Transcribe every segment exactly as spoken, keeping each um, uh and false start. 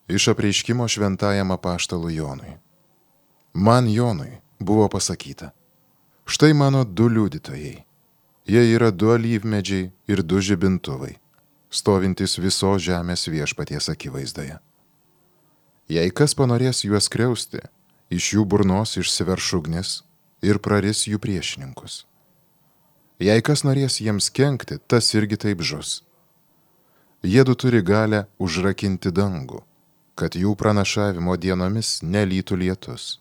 Iš apreiškimo šventajam apaštalui Jonui. Man Jonui buvo pasakyta: štai mano du liudytojai. Jie yra du alyvmedžiai ir du žibintuvai, stovintys visos žemės viešpaties akivaizdoje. Jei kas panorės juos skriausti, iš jų burnos išsiverš ugnis ir praris jų priešininkus. Jei kas norės jiems kenkti, tas irgi taip žus. Jiedu turi galę užrakinti dangų, kad jų pranašavimo dienomis nelytų lietus.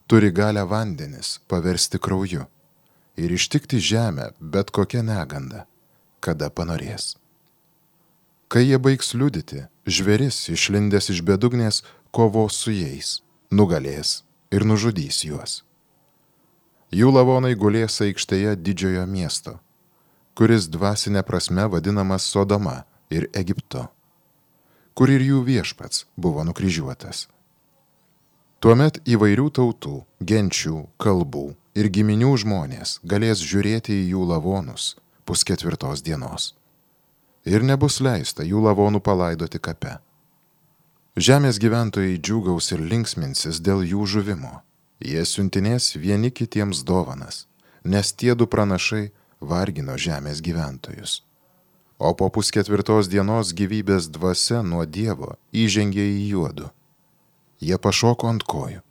Turi galę vandenis paversti krauju ir ištikti žemę bet kokią negandą, kada panorės. Kai jie baigs liudyti, žvėris išlindęs iš bedugnės kovos su jais, nugalės ir nužudys juos. Jų lavonai gulės aikštėje didžiojo miesto, kuris dvasinė prasme vadinamas Sodoma ir Egiptu, kur ir jų viešpats buvo nukryžiuotas. Tuomet įvairių tautų, genčių, kalbų ir giminių žmonės galės žiūrėti į jų lavonus pusketvirtos dienos. Ir nebus leista jų lavonų palaidoti kape. Žemės gyventojai džiūgaus ir linksminsis dėl jų žuvimo. Jie siuntinės vieni kitiems dovanas, nes tie du pranašai vargino žemės gyventojus. O po pusketvirtos dienos gyvybės dvasia nuo Dievo įžengė į juodu. Jie pašoko ant kojų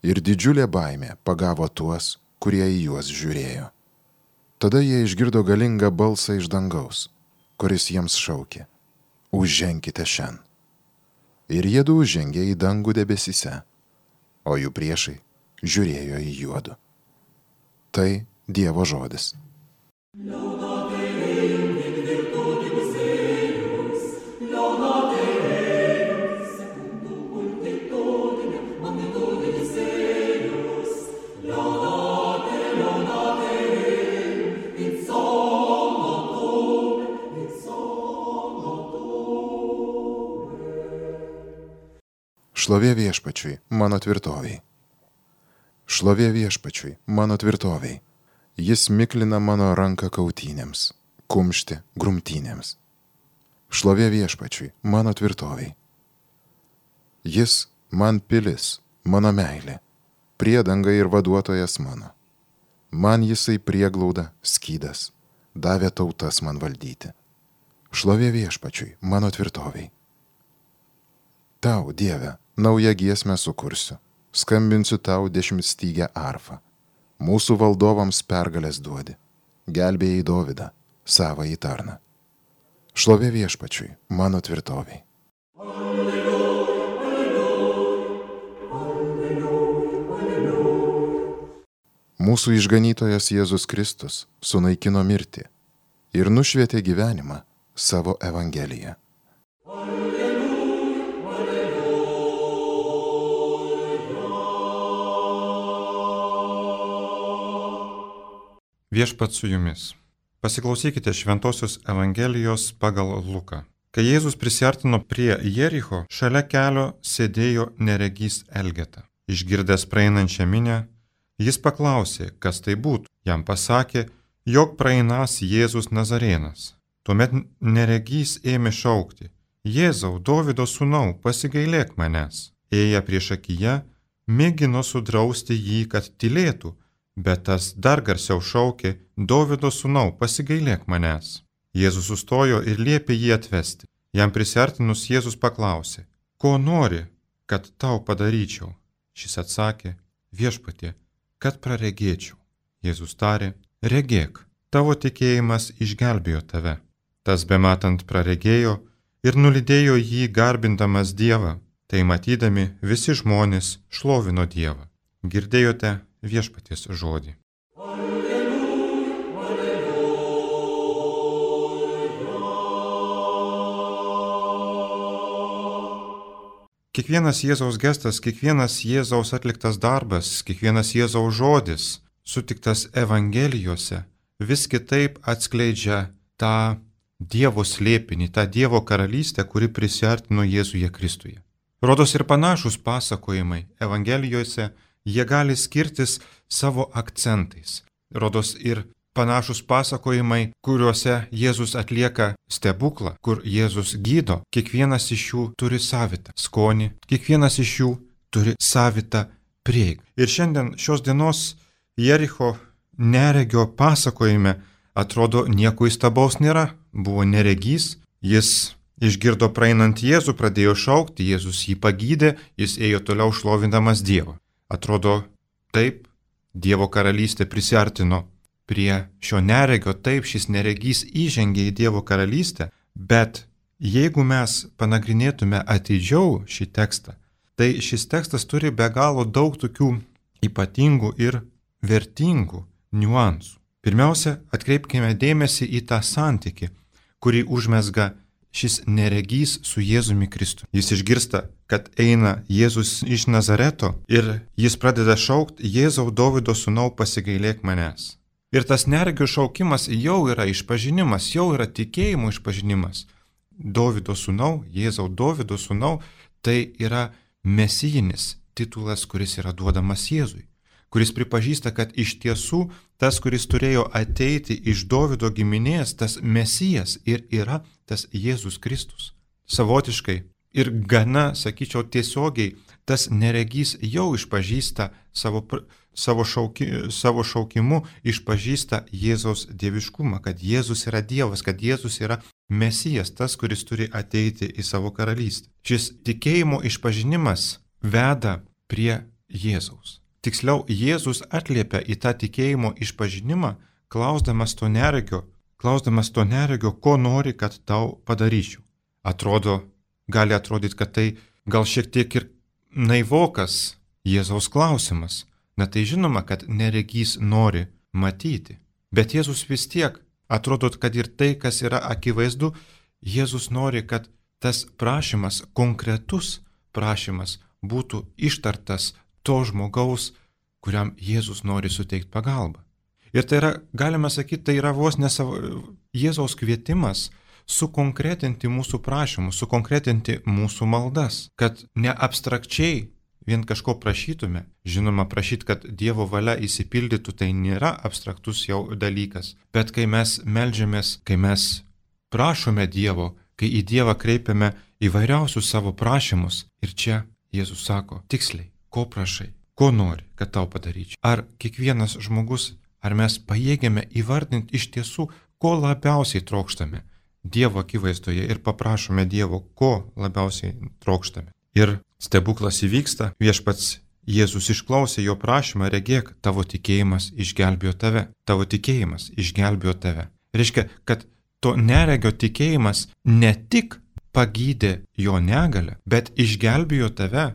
ir didžiulė baimė pagavo tuos, kurie į juos žiūrėjo. Tada jie išgirdo galingą balsą iš dangaus, kuris jiems šaukė: užženkite šen. Ir jiedu užžengė į dangų debesyse, o jų priešai žiūrėjo į juodu. Tai Dievo žodis. Šlovė viešpačiui, mano tvirtoviai. Šlovė viešpačiui, mano tvirtoviai. Jis miklina mano ranką kautynėms, kumštį grumtynėms. Šlovė viešpačiui, mano tvirtoviai. Jis man pilis, mano meilė, priedanga ir vaduotojas mano. Man jisai prieglauda, skydas, davė tautas man valdyti. Šlovė viešpačiui, mano tvirtoviai. Tau, Dieve, naują giesmę sukursiu, skambinsiu tau dešimtstygę arfą. Mūsų valdovams pergalės duodi, gelbėjai Dovydą, savąjį tarną. Šlovė viešpačiui, mano tvirtoviai. Alleluja, alleluja, alleluja. Mūsų išganytojas Jėzus Kristus sunaikino mirtį ir nušvietė gyvenimą savo evangeliją. Viešpats su jumis. Pasiklausykite Šventosios Evangelijos pagal Luką. Kai Jėzus prisiartino prie Jericho, šalia kelio sėdėjo neregys Elgeta. Išgirdęs praeinančią minią, jis paklausė, kas tai būtų. Jam pasakė, jog praeinas Jėzus Nazarėnas. Tuomet neregys ėmė šaukti: Jėzau, Dovydo sūnau, pasigailėk manęs. Ėję priešakyje, mėgino sudrausti jį, kad tylėtų, bet tas dar garsiau šaukė: Dovydo sūnau, pasigailėk manęs. Jėzus sustojo ir liepė jį atvesti. Jam prisiartinus Jėzus paklausė: ko nori, kad tau padaryčiau? Šis atsakė: Viešpatie, kad praregėčiau. Jėzus tarė: regėk, tavo tikėjimas išgelbėjo tave. Tas bematant praregėjo ir nulydėjo jį garbindamas Dievą. Tai matydami visi žmonės šlovino Dievą. Girdėjote Viešpaties žodį. Alleluja, alleluja. Kiekvienas Jėzaus gestas, kiekvienas Jėzaus atliktas darbas, kiekvienas Jėzaus žodis, sutiktas Evangelijose, vis kitaip atskleidžia tą Dievo slėpinį, tą Dievo karalystę, kuri prisiartino Jėzuje Kristuje. Rodos ir panašus pasakojimai Evangelijose, jie gali skirtis savo akcentais. Rodos ir panašus pasakojimai, kuriuose Jėzus atlieka stebuklą, kur Jėzus gydo, kiekvienas iš jų turi savitą skonį, kiekvienas iš jų turi savitą prieigą. Ir šiandien šios dienos Jericho neregio pasakojime atrodo nieko įstabaus nėra. Buvo neregys, jis išgirdo praeinant Jėzų, pradėjo šaukti, Jėzus jį pagydė, jis ėjo toliau šlovindamas Dievą. Atrodo, taip, Dievo karalystė prisiartino prie šio neregio, taip, šis neregys įžengė į Dievo karalystę, bet jeigu mes panagrinėtume atidžiau šį tekstą, tai šis tekstas turi be galo daug tokių ypatingų ir vertingų niuansų. Pirmiausia, atkreipkime dėmesį į tą santykį, kurį užmesga šis neregys su Jėzumi Kristu. Jis išgirsta, kad eina Jėzus iš Nazareto ir jis pradeda šaukti: Jėzau, Dovydo sūnau, pasigailėk manęs. Ir tas neregio šaukimas jau yra išpažinimas, jau yra tikėjimo išpažinimas. Dovydo sūnau, Jėzau, Dovydo sūnau, tai yra mesijinis titulas, kuris yra duodamas Jėzui, kuris pripažįsta, kad iš tiesų tas, kuris turėjo ateiti iš Dovydo giminės, tas Mesijas ir yra tas Jėzus Kristus. Savotiškai ir gana, sakyčiau, tiesiogiai tas neregys jau išpažįsta savo, savo, šauki, savo šaukimu, išpažįsta Jėzaus dieviškumą, kad Jėzus yra Dievas, kad Jėzus yra Mesijas, tas, kuris turi ateiti į savo karalystę. Šis tikėjimo išpažinimas veda prie Jėzaus. Tiksliau, Jėzus atliepia į tą tikėjimo išpažinimą, klausdamas to neregio, klausdamas to neregio, ko nori, kad tau padaryčiau. Atrodo, gali atrodyti, kad tai gal šiek tiek ir naivokas Jėzaus klausimas. Na tai žinoma, kad neregys nori matyti. Bet Jėzus vis tiek, atrodo, kad ir tai, kas yra akivaizdu, Jėzus nori, kad tas prašymas, konkretus prašymas būtų ištartas to žmogaus, kuriam Jėzus nori suteikti pagalbą. Ir tai yra, galime sakyti, tai yra vos ne savo Jėzaus kvietimas sukonkretinti mūsų prašymus, sukonkretinti mūsų maldas, kad ne abstrakčiai vien kažko prašytume. Žinoma, prašyti, kad Dievo valia įsipildytų, tai nėra abstraktus jau dalykas. Bet kai mes meldžiamės, kai mes prašome Dievo, kai į Dievą kreipiame įvairiausius savo prašymus, ir čia Jėzus sako tiksliai, ko prašai, ko nori, kad tau padaryčiau. Ar kiekvienas žmogus, ar mes pajėgiame įvardinti iš tiesų, ko labiausiai trokštame Dievo akivaizdoje ir paprašome Dievo, ko labiausiai trokštame. Ir stebuklas įvyksta, viešpats Jėzus išklausė jo prašymą, regėk, tavo tikėjimas išgelbėjo tave, tavo tikėjimas išgelbėjo tave. Reiškia, kad to neregio tikėjimas ne tik pagydė jo negalę, bet išgelbėjo tave.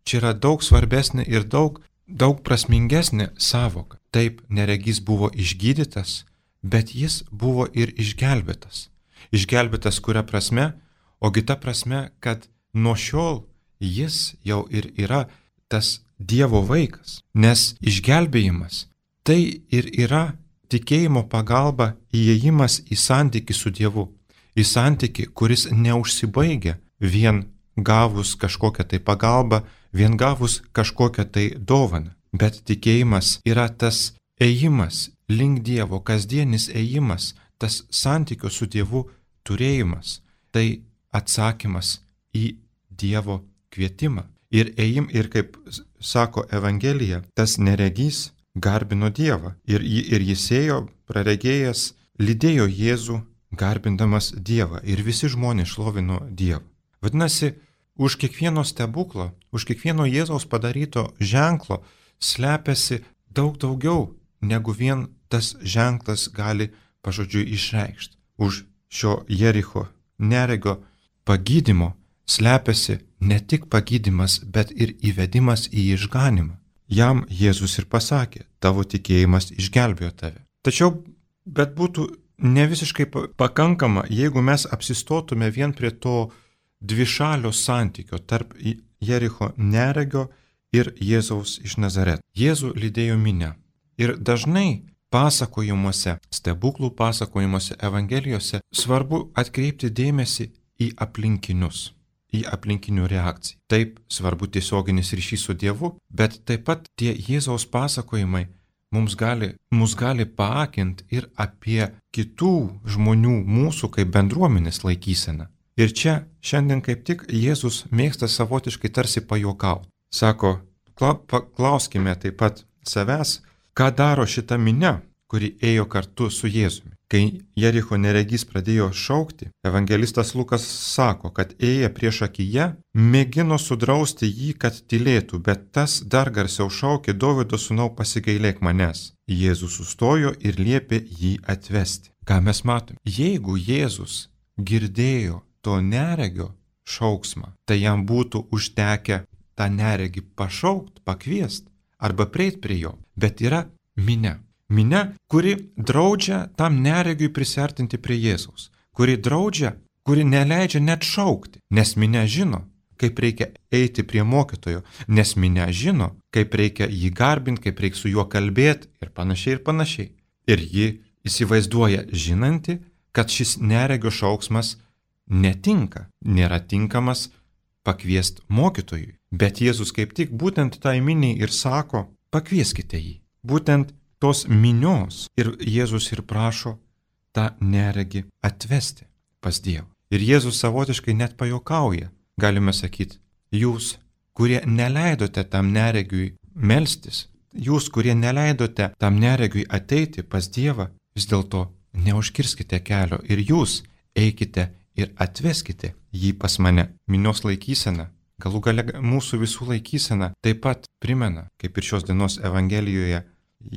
Čia yra daug svarbesnė ir daug, daug prasmingesnė sąvoka. Taip, neregys buvo išgydytas, bet jis buvo ir išgelbėtas. Išgelbėtas kuria prasme, ogi ta prasme, kad nuo šiol jis jau ir yra tas Dievo vaikas. Nes išgelbėjimas tai ir yra tikėjimo pagalba įėjimas į santykį su Dievu. Į santykį, kuris neužsibaigia vien gavus kažkokią tai pagalbą, vien gavus kažkokią tai dovaną. Bet tikėjimas yra tas ėjimas link Dievo, kasdienis ėjimas, tas santykio su Dievu turėjimas. Tai atsakymas į Dievo kvietimą. Ir ėjim, ir kaip sako Evangelija, tas neregys garbino Dievą. Ir, ir jis ėjo, praregėjęs, lydėjo Jėzų, garbindamas Dievą. Ir visi žmonės šlovino Dievą. Vadinasi, už kiekvieno stebuklo, už kiekvieno Jėzaus padaryto ženklo slepiasi daug daugiau, negu vien tas ženklas gali pažodžiui išreikšti. Už šio Jericho neregio pagydymo slepiasi ne tik pagydymas, bet ir įvedimas į išganimą. Jam Jėzus ir pasakė, tavo tikėjimas išgelbėjo tave. Tačiau, bet būtų ne visiškai pakankama, jeigu mes apsistotume vien prie to dvišalio santykio tarp Jericho neregio ir Jėzaus iš Nazareto. Jėzų lydėjo minia. Ir dažnai pasakojimuose, stebuklų pasakojimuose, evangelijose svarbu atkreipti dėmesį į aplinkinius, į aplinkinių reakciją. Taip, svarbu tiesioginis ryšys su Dievu, bet taip pat tie Jėzaus pasakojimai mums gali, mus gali paakinti ir apie kitų žmonių mūsų kaip bendruomenės laikyseną. Ir čia šiandien kaip tik Jėzus mėgsta savotiškai tarsi pajuokauti. Sako, klauskime taip pat savęs, ką daro šita minia, kuri ėjo kartu su Jėzumi. Kai Jericho neregys pradėjo šaukti, evangelistas Lukas sako, kad ėję prieš akiją, mėgino sudrausti jį, kad tylėtų, bet tas dar garsiau šaukė, Dovydo sūnau, pasigailėk manęs. Jėzus sustojo ir liepė jį atvesti. Ką mes matome? Jeigu Jėzus girdėjo to neregio šauksmą, tai jam būtų užtekę tą neregį pašaukt, pakviest arba prieit prie jo. Bet yra minia. Minia, kuri draudžia tam neregiui prisiartinti prie Jėzaus, kuri draudžia, kuri neleidžia net šaukti, nes minia žino, kaip reikia eiti prie mokytojo, nes minia žino, kaip reikia jį garbinti, kaip reikia su juo kalbėti ir panašiai ir panašiai. Ir ji įsivaizduoja žinanti, kad šis neregio šauksmas netinka, nėra tinkamas pakviest mokytojui. Bet Jėzus kaip tik būtent tai miniai ir sako, pakvieskite jį. Būtent tos minios ir Jėzus ir prašo tą neregį atvesti pas Dievą. Ir Jėzus savotiškai net pajuokauja, galime sakyti, jūs, kurie neleidote tam neregiui melstis, jūs, kurie neleidote tam neregiui ateiti pas Dievą, vis dėlto neužkirskite kelio ir jūs eikite ir atveskite jį pas mane. Minios laikysena, galų gale mūsų visų laikysena taip pat primena, kaip ir šios dienos Evangelijoje,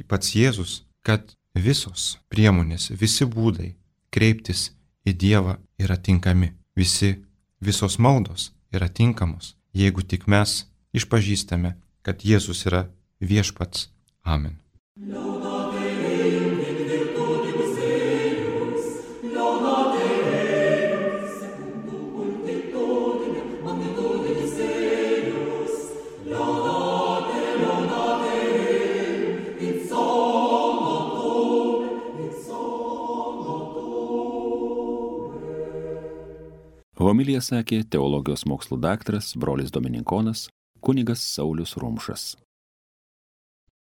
pats Jėzus, kad visos priemonės, visi būdai kreiptis į Dievą yra tinkami. Visi, visos maldos yra tinkamos, jeigu tik mes išpažįstame, kad Jėzus yra viešpats. Amen. Homiliją sakė teologijos mokslų daktaras, brolis dominikonas, kunigas Saulius Rumšas.